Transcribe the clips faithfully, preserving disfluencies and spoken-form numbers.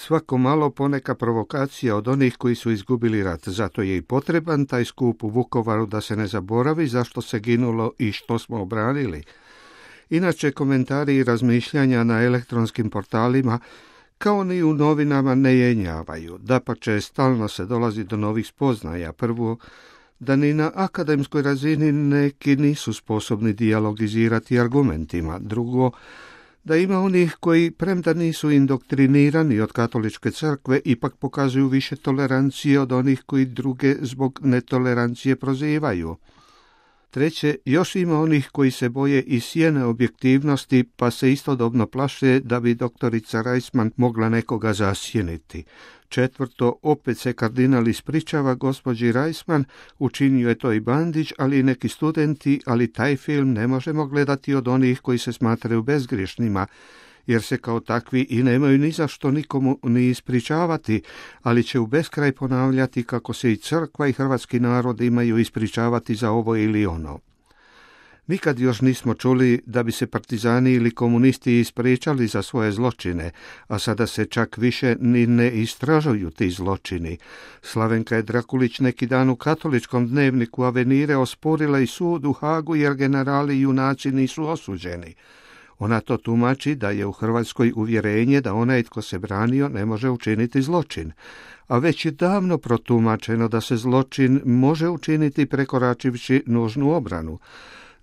Svako malo poneka provokacija od onih koji su izgubili rat, zato je i potreban taj skup u Vukovaru da se ne zaboravi zašto se ginulo i što smo obranili. Inače, komentari i razmišljanja na elektronskim portalima kao ni u novinama ne jenjavaju. Dapače, stalno se dolazi do novih spoznaja. Prvo, da ni na akademskoj razini neki nisu sposobni dijalogizirati argumentima. Drugo, da ima onih koji, premda nisu indoktrinirani od katoličke crkve, ipak pokazuju više tolerancije od onih koji druge zbog netolerancije prozivaju. Treće, još ima onih koji se boje i sjene objektivnosti, pa se istodobno plaše da bi doktorica Reisman mogla nekoga zasjeniti. Četvrto, opet se kardinal ispričava gospođi Reisman, učinio je to i Bandić, ali i neki studenti, ali taj film ne možemo gledati od onih koji se smatraju bezgriješnima, jer se kao takvi i nemaju ni za što nikomu ni ispričavati, ali će u beskraj ponavljati kako se i crkva i hrvatski narod imaju ispričavati za ovo ili ono. Nikad još nismo čuli da bi se partizani ili komunisti ispričali za svoje zločine, a sada se čak više ni ne istražuju ti zločini. Slavenka je Drakulić neki dan u katoličkom dnevniku Avenire osporila i sud u Hagu jer generali i junaci nisu osuđeni. Ona to tumači da je u Hrvatskoj uvjerenje da onaj tko se branio ne može učiniti zločin, a već je davno protumačeno da se zločin može učiniti prekoračivši nužnu obranu.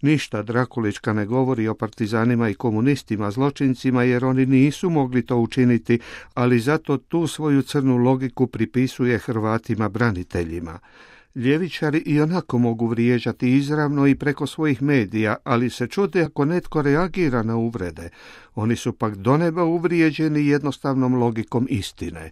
Ništa Drakulička ne govori o partizanima i komunistima zločincima jer oni nisu mogli to učiniti, ali zato tu svoju crnu logiku pripisuje Hrvatima braniteljima. Ljevičari i onako mogu vrijeđati izravno i preko svojih medija, ali se čude ako netko reagira na uvrede. Oni su pak do neba uvrijeđeni jednostavnom logikom istine.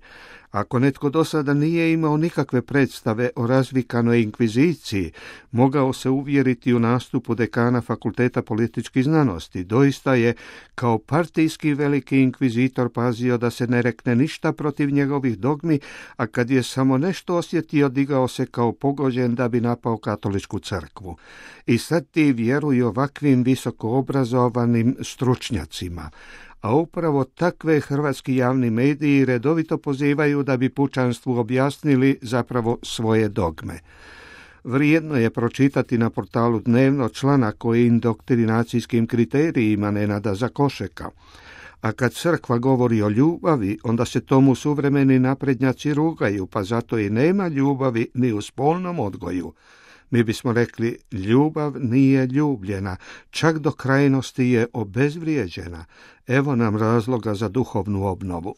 Ako netko do sada nije imao nikakve predstave o razvikanoj inkviziciji, mogao se uvjeriti u nastupu dekana Fakulteta političkih znanosti. Doista je, kao partijski veliki inkvizitor, pazio da se ne rekne ništa protiv njegovih dogmi, a kad je samo nešto osjetio, digao se kao pogođen da bi napao katoličku crkvu. I sad ti vjeruju ovakvim visoko obrazovanim stručnjacima. A upravo takve hrvatski javni mediji redovito pozivaju da bi pučanstvu objasnili zapravo svoje dogme. Vrijedno je pročitati na portalu Dnevno članak o indoktrinacijskim kriterijima Nenada Zakošeka. A kad crkva govori o ljubavi, onda se tomu suvremeni naprednjaci rugaju, pa zato i nema ljubavi ni u spolnom odgoju. Mi bismo rekli, ljubav nije ljubljena, čak do krajnosti je obezvrijeđena. Evo nam razloga za duhovnu obnovu.